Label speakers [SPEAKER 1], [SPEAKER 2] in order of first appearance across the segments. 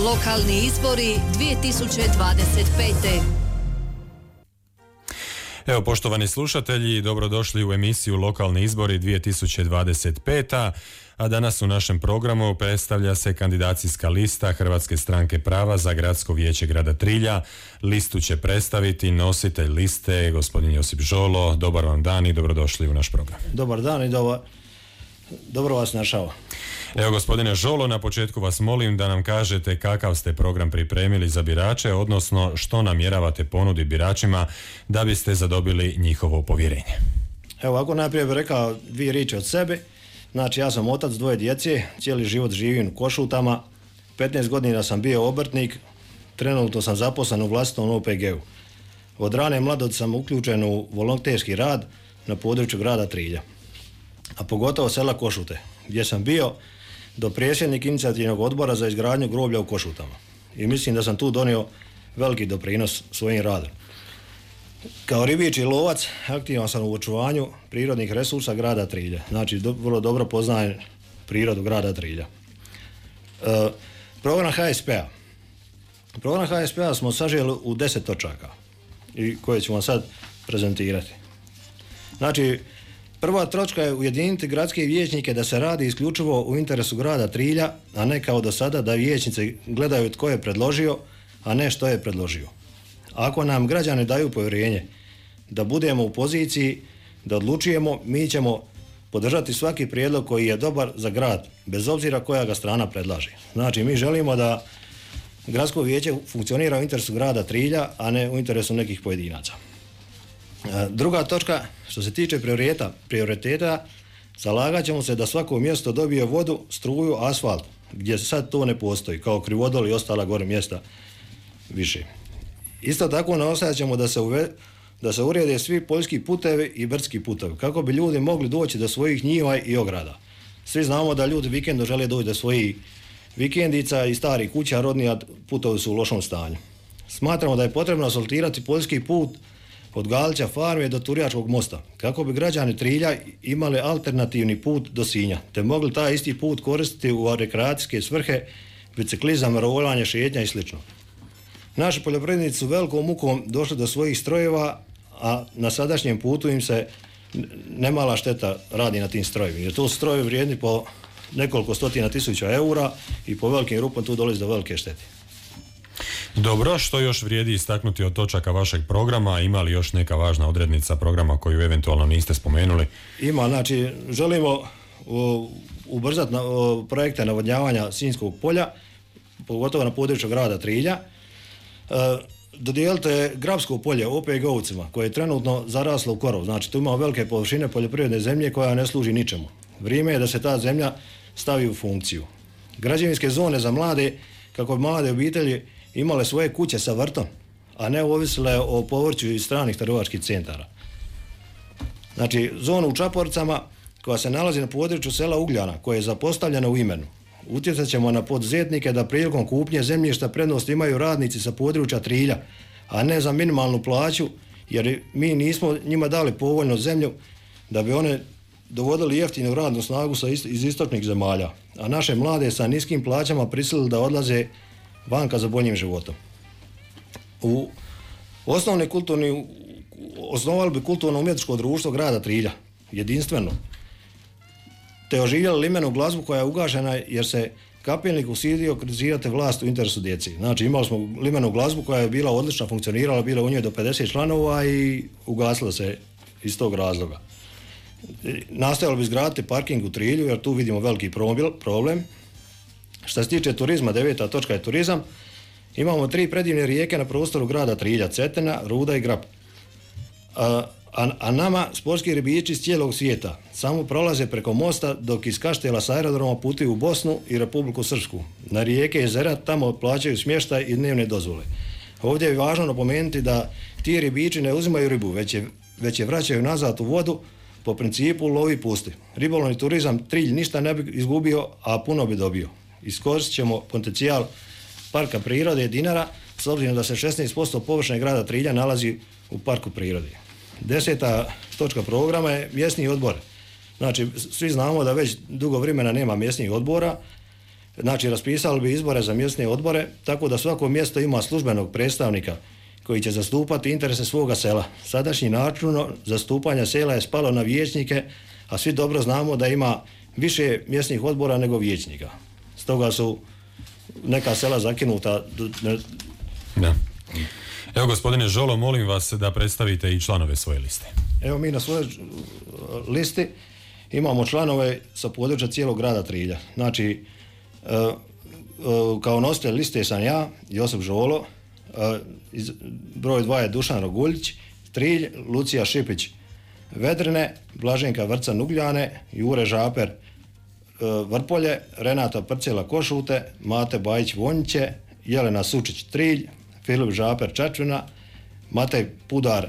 [SPEAKER 1] Lokalni izbori 2025.
[SPEAKER 2] Evo, poštovani slušatelji, dobrodošli u emisiju Lokalni izbori 2025. A danas u našem programu predstavlja se kandidacijska lista Hrvatske stranke prava za Gradsko vijeće grada Trilja. Listu će predstaviti nositelj liste, gospodin Josip Žolo. Dobar vam dan i dobrodošli u naš program.
[SPEAKER 3] Dobar dan i dobro vas našao.
[SPEAKER 2] Evo, gospodine Žolo, na početku vas molim da nam kažete kakav ste program pripremili za birače, odnosno što namjeravate ponuditi biračima da biste zadobili njihovo povjerenje.
[SPEAKER 3] Evo, ako najprije bih rekao dvije riječi od sebe. Znači, ja sam otac dvoje djece, cijeli život živim u Košutama, 15 godina sam bio obrtnik, trenutno sam zaposlen u vlastitom OPG-u. Od rane mladosti sam uključen u volonterski rad na području grada Trilja, a pogotovo sela Košute, gdje sam bio do predsjednik inicijativnog odbora za izgradnju groblja u Košutama. I mislim da sam tu donio veliki doprinos svojim radom. Kao ribič i lovac aktivan sam u očuvanju prirodnih resursa grada Trilja. Znači, vrlo dobro poznajem prirodu grada Trilja. Program HSP-a. Program HSP-a smo saželi u 10 točaka i koje ću vam sad prezentirati. Znači, prva točka je ujediniti gradske vijećnike da se radi isključivo u interesu grada Trilja, a ne kao do sada da vijećnici gledaju tko je predložio, a ne što je predložio. Ako nam građani daju povjerenje da budemo u poziciji da odlučujemo, mi ćemo podržati svaki prijedlog koji je dobar za grad, bez obzira koja ga strana predlaže. Znači, mi želimo da gradsko vijeće funkcionira u interesu grada Trilja, a ne u interesu nekih pojedinaca. Druga točka, što se tiče prioriteta, zalagat ćemo se da svako mjesto dobije vodu, struju, asfalt, gdje sad to ne postoji, kao Krivodol i ostala gore mjesta više. Isto tako nastojat ćemo da se urede svi poljski putevi i brdski putevi, kako bi ljudi mogli doći do svojih njiva i ograda. Svi znamo da ljudi vikendom žele doći do svojih vikendica i starih kuća, rodni, a putovi su u lošom stanju. Smatramo da je potrebno asfaltirati poljski put od Galića farme do Turjačkog mosta, kako bi građani Trilja imali alternativni put do Sinja, te mogli taj isti put koristiti u rekreacijske svrhe, biciklizam, rolanje, šetnja i sl. Naši poljoprivrednici su velikom mukom došli do svojih strojeva, a na sadašnjem putu im se nemala šteta radi na tim strojevima, jer to su strojevi vrijedni po nekoliko stotina tisuća eura i po velikim rupama tu dolazi do velike štete.
[SPEAKER 2] Dobro, što još vrijedi istaknuti od točaka vašeg programa? Ima li još neka važna odrednica programa koju eventualno niste spomenuli? Ima,
[SPEAKER 3] znači želimo ubrzati projekte navodnjavanja Sinjskog polja, pogotovo na području grada Trilja. Dodijelite Grabsko polje OPG-ovcima koje je trenutno zaraslo u korov. Znači, tu ima velike površine poljoprivredne zemlje koja ne služi ničemu. Vrijeme je da se ta zemlja stavi u funkciju. Građevinske zone za mlade, kako bi mlade obitelji imale svoje kuće sa vrtom, a ne ovisile o povrću iz stranih trgovačkih centara. Znači, zonu u Čaporicama koja se nalazi na području sela Ugljana, koje je zapostavljeno u imenu. Utjecat ćemo na poduzetnike da prilikom kupnje zemljišta prednost imaju radnici sa područja Trilja, a ne za minimalnu plaću, jer mi nismo njima dali povoljnu zemlju da bi one dovodili jeftinu radnu snagu iz istočnih zemalja, a naše mlade sa niskim plaćama prisilili da odlaze vanka za boljim životom. Osnovali bi kulturno-umjetničko društvo grada Trilja, jedinstveno, te oživjeli limenu glazbu koja je ugašena jer se kapelnik usidio kritizirati vlast u interesu djeci. Znači, imali smo limenu glazbu koja je bila odlična, funkcionirala, bila u njoj do 50 članova i ugasila se iz tog razloga. Nastojali bi izgraditi parking u Trilju jer tu vidimo veliki problem. Što se tiče turizma, 9. točka je turizam. Imamo 3 predivne rijeke na prostoru grada Trilja, Cetina, Ruda i Grab. A nama sportski ribiči iz cijelog svijeta samo prolaze preko mosta, dok iz Kaštela s aerodroma putuju u Bosnu i Republiku Srpsku. Na rijeke i jezera tamo plaćaju smještaj i dnevne dozvole. Ovdje je važno napomenuti da ti ribiči ne uzimaju ribu, već je vraćaju nazad u vodu po principu lovi pusti. Ribolovni turizam Trilj ništa ne bi izgubio, a puno bi dobio. Iskoristit ćemo potencijal parka prirode Dinara, s obzirom da se 16% površine grada Trilja nalazi u parku prirode. 10. točka programa je mjesni odbor. Znači, svi znamo da već dugo vremena nema mjesnih odbora Znači, raspisali bi izbore za mjesne odbore, tako da svako mjesto ima službenog predstavnika koji će zastupati interese svoga sela. Sadašnji način zastupanja sela je spalo na vijećnike, a svi dobro znamo da ima više mjesnih odbora nego vijećnika. Stoga su neka sela zakinuta.
[SPEAKER 2] Da. Evo, gospodine Žolo, molim vas da predstavite i članove svoje liste.
[SPEAKER 3] Evo, mi na svojoj listi imamo članove sa područja cijelog grada Trilja. Znači, kao nositelj liste sam ja, Josip Žolo, broj 2 je Dušan Roguljić, Trilj, Lucija Šipić Vedrine, Blaženka Vrcan Ugljane, Jure Žaper Vrpolje, Renata Prcela Košute, Mate Bajić Vonjiće, Jelena Sučić Trilj, Filip Žaper Čačvina, Matej Pudar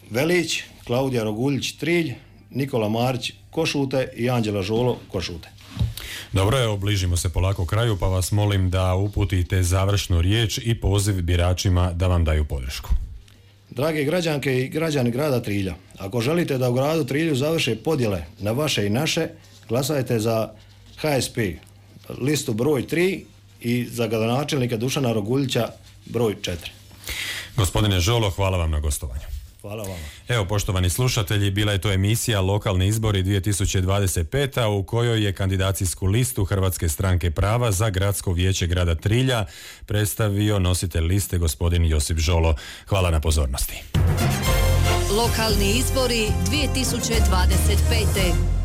[SPEAKER 3] Velić, Klaudija Roguljić Trilj, Nikola Marić Košute i Anđela Žolo Košute.
[SPEAKER 2] Dobro, evo, bližimo se polako kraju, pa vas molim da uputite završnu riječ i poziv biračima da vam daju podršku.
[SPEAKER 3] Drage građanke i građani grada Trilja, ako želite da u gradu Trilju završe podjele na vaše i naše, glasajte za HSP, listu broj 3 i za gradonačelnika Dušana Roguljića broj 4.
[SPEAKER 2] Gospodine Žolo, hvala vam na gostovanju.
[SPEAKER 3] Hvala vama.
[SPEAKER 2] Evo, poštovani slušatelji, bila je to emisija Lokalni izbori 2025. u kojoj je kandidacijsku listu Hrvatske stranke prava za gradsko vijeće grada Trilja predstavio nositelj liste gospodin Josip Žolo. Hvala na pozornosti.
[SPEAKER 1] Lokalni izbori 2025.